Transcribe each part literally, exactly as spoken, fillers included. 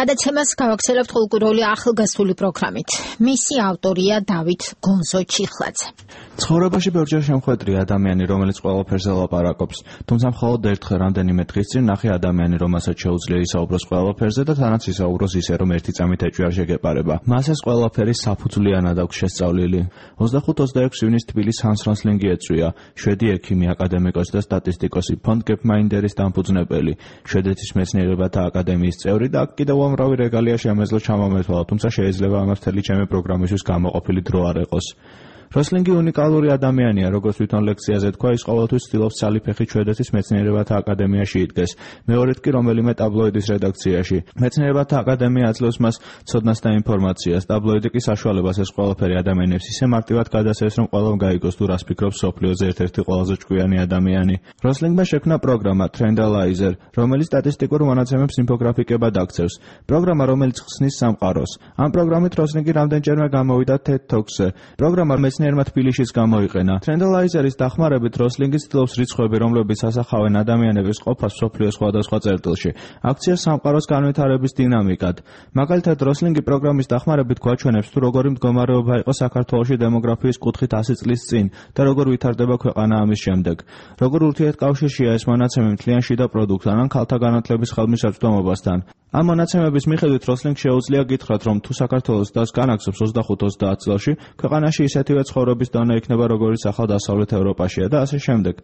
გადაცემას გავაგრძელებთ ყოველკვირეული ახალგაზრდული პროგრამით. მისი ავტორია დავით გონზო-ჩიხლაძე. ცხოვრებაში ბევრჯერ შემხვედრია ადამიანი, რომელიც ყველაფერზე ლაპარაკობს, თუმცა მხოლოდ ერთხელ რამდენიმე დღის წინ ნახე ადამიანი, რომელსაც შეუძლია ისაუბროს ყველაფერზე და თანაც ისაუბროს ისე, რომ ერთი წამით ეჭვი არ შეგეპარება. მას ეს ყველაფერი საფუძვლიანად აქვს შესწავლილი. ოცდახუთ ოცდაექვსი ივნის თბილისის ჰანს როსლინგი ეწვია, შვედი ექიმი, აკადემიკოსი და სტატისტიკოსი, ფონდ გეპმაინდერის დამფუძნებელი, შვედეთის მეცნიერებათა აკადემიის წევრი და კიდევ უამრავი რეგალია შემეძლო ჩამომეთვალა, თუმცა შეიძლება ამას მთელი ჩემი პროგრამისთვის გამოყოფილი დრო არ ეყოს. როსლინგი უნიკალური ადამიანია, როგორც თვითონ ლექციაზე თქვა, ის ყოველთვის ცდილობს ცალი ფეხით შვედეთის მეცნიერებათა აკადემიაში იდგეს, მეორედ კი რომელიმე ტაბლოიდის რედაქციაში. მეცნიერებათა აკადემია აძლევს მას ცოდნას და ინფორმაციას, ტაბლოიდი კი საშუალებას ეს ყველაფერი ადამიანებს ისე მარტივად გადასცეს, რომ ყველამ გაიგოს თუ რას ფიქრობს მსოფლიოზე ერთ-ერთი ყველაზე ჭკვიანი ადამიანი. როსლინგმა შექმნა პროგრამა Trendalizer, რომელიც სტატისტიკურ მონაცემებს ინფოგრაფიკებად აქცევს. პროგრამა, რომელიც ხსნის სამყაროს. ამ პროგრამით როსლინგი რამდენჯერმე გამოვიდა TED Talks-ზე. პროგრამა მეცნიერმა თბილისშიც გამოიყენა. Trendalizer-ის დახმარებით როსლინგი ცდილობს რიცხვები, რომლებიც ასახავენ ადამიანების ყოფას მსოფლიოს სხვადასხვა წერტილში, აქციას სამყაროს განვითარების დინამიკად. მაგალითად, როსლინგი პროგრამის დახმარებით გვაჩვენებს, თუ როგორი მდგომარეობა იყო საქართველოში დემოგრაფიის კუთხით ასი წლის წინ და როგორ ვითარდება ქვეყანა ამის შემდეგ. როგორ ურთიერთკავშირშია ეს მონაცემი მთლიან შიდა პროდუქტთან ან ქალთა განათლების ხელმისაწვდომობასთან. ამ მონაცემების მიხედვით როსლინგს შეუძლია გითხრათ, რომ თუ საქართველოს დას განაგზობს ოცდახუთ ოცდაათ წელში, ქვეყანაში ისეთივე ცხოვრების დონე იქნება, როგორიც ახალ დასავლეთ ევროპაშია და ასე შემდეგ.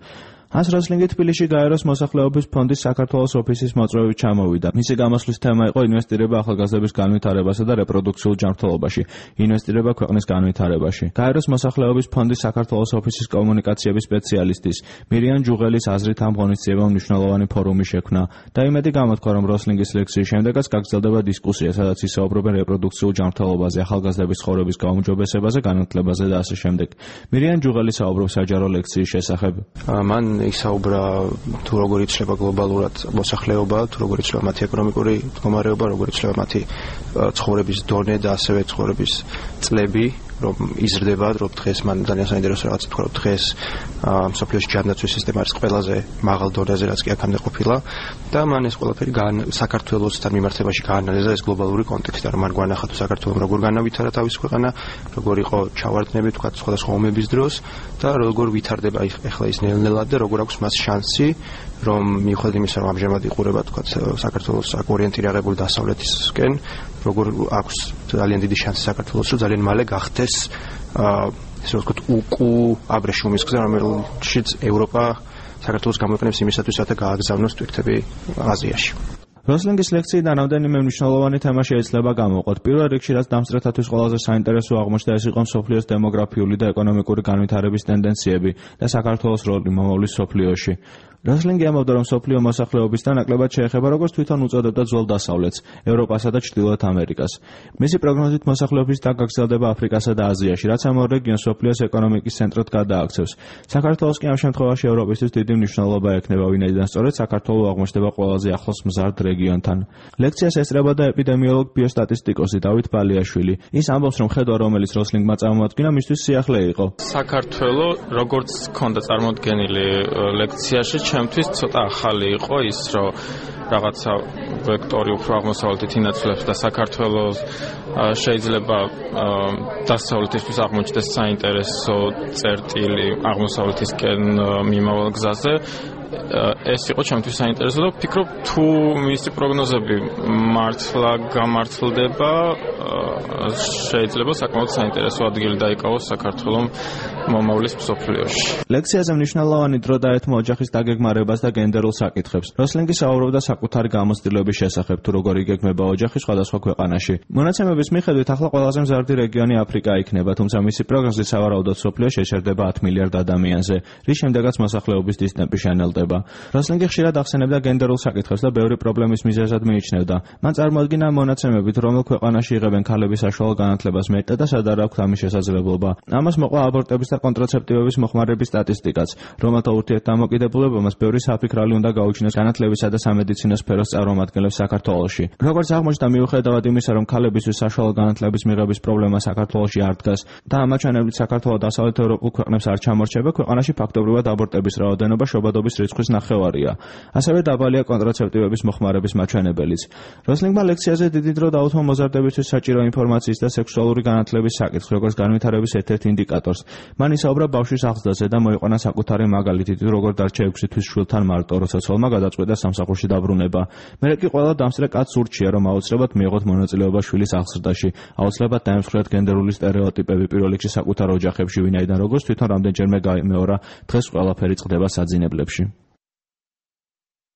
ჰანს როსლინგი თბილისში გაეროს მოსახლეობის ფონდის საქართველოს ოფისის მოწვევით ჩამოვიდა. მისი გამოსვლის თემა იყო ინვესტირება ახალგაზრდების განვითარებასა და რეპროდუქციულ ჯანმრთელობაში, ინვესტირება ქვეყნის განვითარებაში. გაეროს მოსახლეობის ფონდის საქართველოს ოფისის კომუნიკაციების სპეციალისტის მირიან ჯუღელის აზრით ამ ღონისძიებამ მნიშვნელოვანი ფორუმი შექმნა და იმედი გამოთქვა, რომ როსლინგის ლექციის შემდეგაც გაგრძელდება დისკუსია, სადაც ისაუბრებენ რეპროდუქციულ ჯანმრთელობაზე, ახალგაზრდების ცხოვრების გაუმჯობესებაზე, განათლებაზე და ასე შემდეგ. მირიან ჯუღელი საუბრობს საჯარო ლექციის შესახებ. მან ისაუბრა თუ როგორ იცვლება გლობალურად მოსახლეობა, თუ როგორ იცვლება მათი ეკონომიკური მდგომარეობა, როგორ იცვლება მათი ცხოვრების დონე და ასევე ცხოვრების წლები, რომ იზრდება, რომ დღეს მან ძალიან საინტერესო რაღაც თქვა, რომ დღეს მსოფლიოში ჯანდაცვის სისტემა არის ყველაზე მაღალ დონეზე, რაც კი აქამდე ყოფილა და მან ეს ყველაფერი საქართველოსთან მიმართებაში გაანალიზა ეს გლობალური კონტექსტი, რომ მან გვანახა თუ საქართველოს როგორ განავითარა თავის ქვეყანა, როგორ იყო ჩავარდნები თქვა სხვადასხვა ომების დროს და როგორ ვითარდება ახლა ის ნელ-ნელად და როგორ აქვს მას შანსი, რომ მიუხედავად იმისა, რომ ამჟამად იყურება თქვა საქართველოს აქ ორიენტირებული დასავლეთისკენ, როგორ აქვს ძალიან დიდი შანსი საქართველოს, რომ ძალიან მალე გახდეს ესე ვთქვათ უკუ აბრეშუმის გზა, რომელშიც ევროპა საქართველოს გამოიყენებს იმისათვის, რათა გააგზავნოს ტვირთები აზიაში. როსლინგის ლექციიდან რამდენიმე მნიშვნელოვანი თემა შეიძლება გამოვყოთ. პირველ რიგში, რაც დამსწრეთათვის ყველაზე საინტერესო აღმოჩნდა, ეს იყო მსოფლიოს დემოგრაფიული და ეკონომიკური განვითარების ტენდენციები და საქართველოს როლი მომავლის მსოფლიოში. როსლინგი ამბობდა, რომ მსოფლიო მოსახლეობის დანაკლებად შეეხება როგორც თვითონ უწოდებდა ძველ დასავლეთს, ევროპასა და ჩრდილოეთ ამერიკას. მისი პროგნოზით მოსახლეობის დაგაგრძელდება აფრიკასა და აზიაში, რაც ამ ორ რეგიონს მსოფლიოს ეკონომიკის ცენტრად გადააქცევს. საქართველოს კი ამ შემთხვევაში ევროპისთვის დიდი მნიშვნელობა ექნება, ვინაიდან სწორედ საქართველო აღმოჩნდება ყველაზე ახლოს მზარდ რეგიონთან. ლექციას ესწრებოდა ეპიდემიოლოგ ბიოსტატისტიკოსი დავით ბალიაშვილი. ის ამბობს, რომ ხედვა, რომელიც როსლინგმა წარმოადგინა, მისთვის სიახლე იყო. საქართველო, როგორც ჰქონდა წარმოდგენილი ლექციაში, ჩემთვის ცოტა ახალი იყო ის, რომ რაღაცა ვექტორი უფრო აღმოსავლეთით ინაცვლებს და საქართველოს შეიძლება დასავლეთისთვის აღმოჩნდეს საინტერესო წერტილი აღმოსავლეთისკენ მიმავალ გზაზე. ეს იყო ჩემთვის საინტერესო და ვფიქრობ, თუ მისი პროგნოზები მართლა გამართლდება, შეიძლება საკმაოდ საინტერესო ადგილი დაიკავოს საქართველოს მომავლის მსოფლიოში. ლექციაზე მნიშვნელოვანი დრო დაეთმო ოჯახის დაგეგმარებას და გენდერულ საკითხებს. როსლინგი საუბრობდა საკუთარი გამოცდილების შესახებ, თუ როგორ იგეგმება ოჯახი სხვადასხვა ქვეყანაში. მონაცემების მიხედვით ახლა ყველაზე მზარდი რეგიონი აფრიკა იქნება, თუმცა მისი პროგნოზი სავარაუდოდ მსოფლიოში შეჩერდება ათ მილიარდ ადამიანზე, რის შემდეგაც მოსახლეობის დის ტემპი შენელდება. როსლინგი ხშირად ახსენებდა გენდერულ საკითხებს და ბევრი პრობლემის მიზეზად მიიჩნევდა. მან წარმოადგინა მონაცემებით, რომელ ქვეყანაში იღებენ ქალების საშუალო განათლებას მეტად და სად არ აქვთ ამის შესაძლებლობა. ამას მოყვა აბორტების და კონტრაცეპტივების მოხმარების სტატისტიკაც, რომელთა ურთიერთდამოკიდებულებამაც ბევრი საფიქრალი უნდა გაუჩინოს განათლებისა და სამედიცინო სფეროს წარმომადგენლებს საქართველოში. როგორც აღმოჩნდა, მიუხედავად იმისა, რომ ქალებისთვის საშუალო განათლების მიღების პრობლემა საქართველოში არ დგას და ამაჩვენებლით საქართველოს დასავლეთ ევროპულ ქვეყნებს არ ჩამორჩება, ქვეყანაში ფაქტობრივად აბორტების რაოდენობა შობადობის რიცხვის ნახევარია. ასევე დაბალია კონტრაცეპტივების მოხმარების მაჩვენებელიც. როსლინგმა ლექციაზე დიდი დრო დაუთმო მოზარდებისთვის საჭირო ინფორმაციის და სექსუალური განათლების საკითხს, როგორც განვითარების ერთ-ერთ ინდიკატორს. მან ისაუბრა ბავშვის აღზრდაზე და მოიყვანა საკუთარი მაგალითი, როგორ დარჩა ექვსი თვის შვილთან მარტო, როცა ცოლმა გადაწყვიტა სამსახურში დაბრუნება. მერე კი ყველა დამსწრე კაცს ურჩია, რომ აუცილებლად მიიღოთ მონაწილეობა შვილის აღზრდაში. აუცილებლად დაემსხვრიათ გენდერული სტერეოტიპები პირველ რიგში საკუთარ ოჯახებში, ვინაიდან როგორც თვითონ რამდენჯერმე გაიმეორა, დღეს ყველაფერი წყდება საძინებლებში.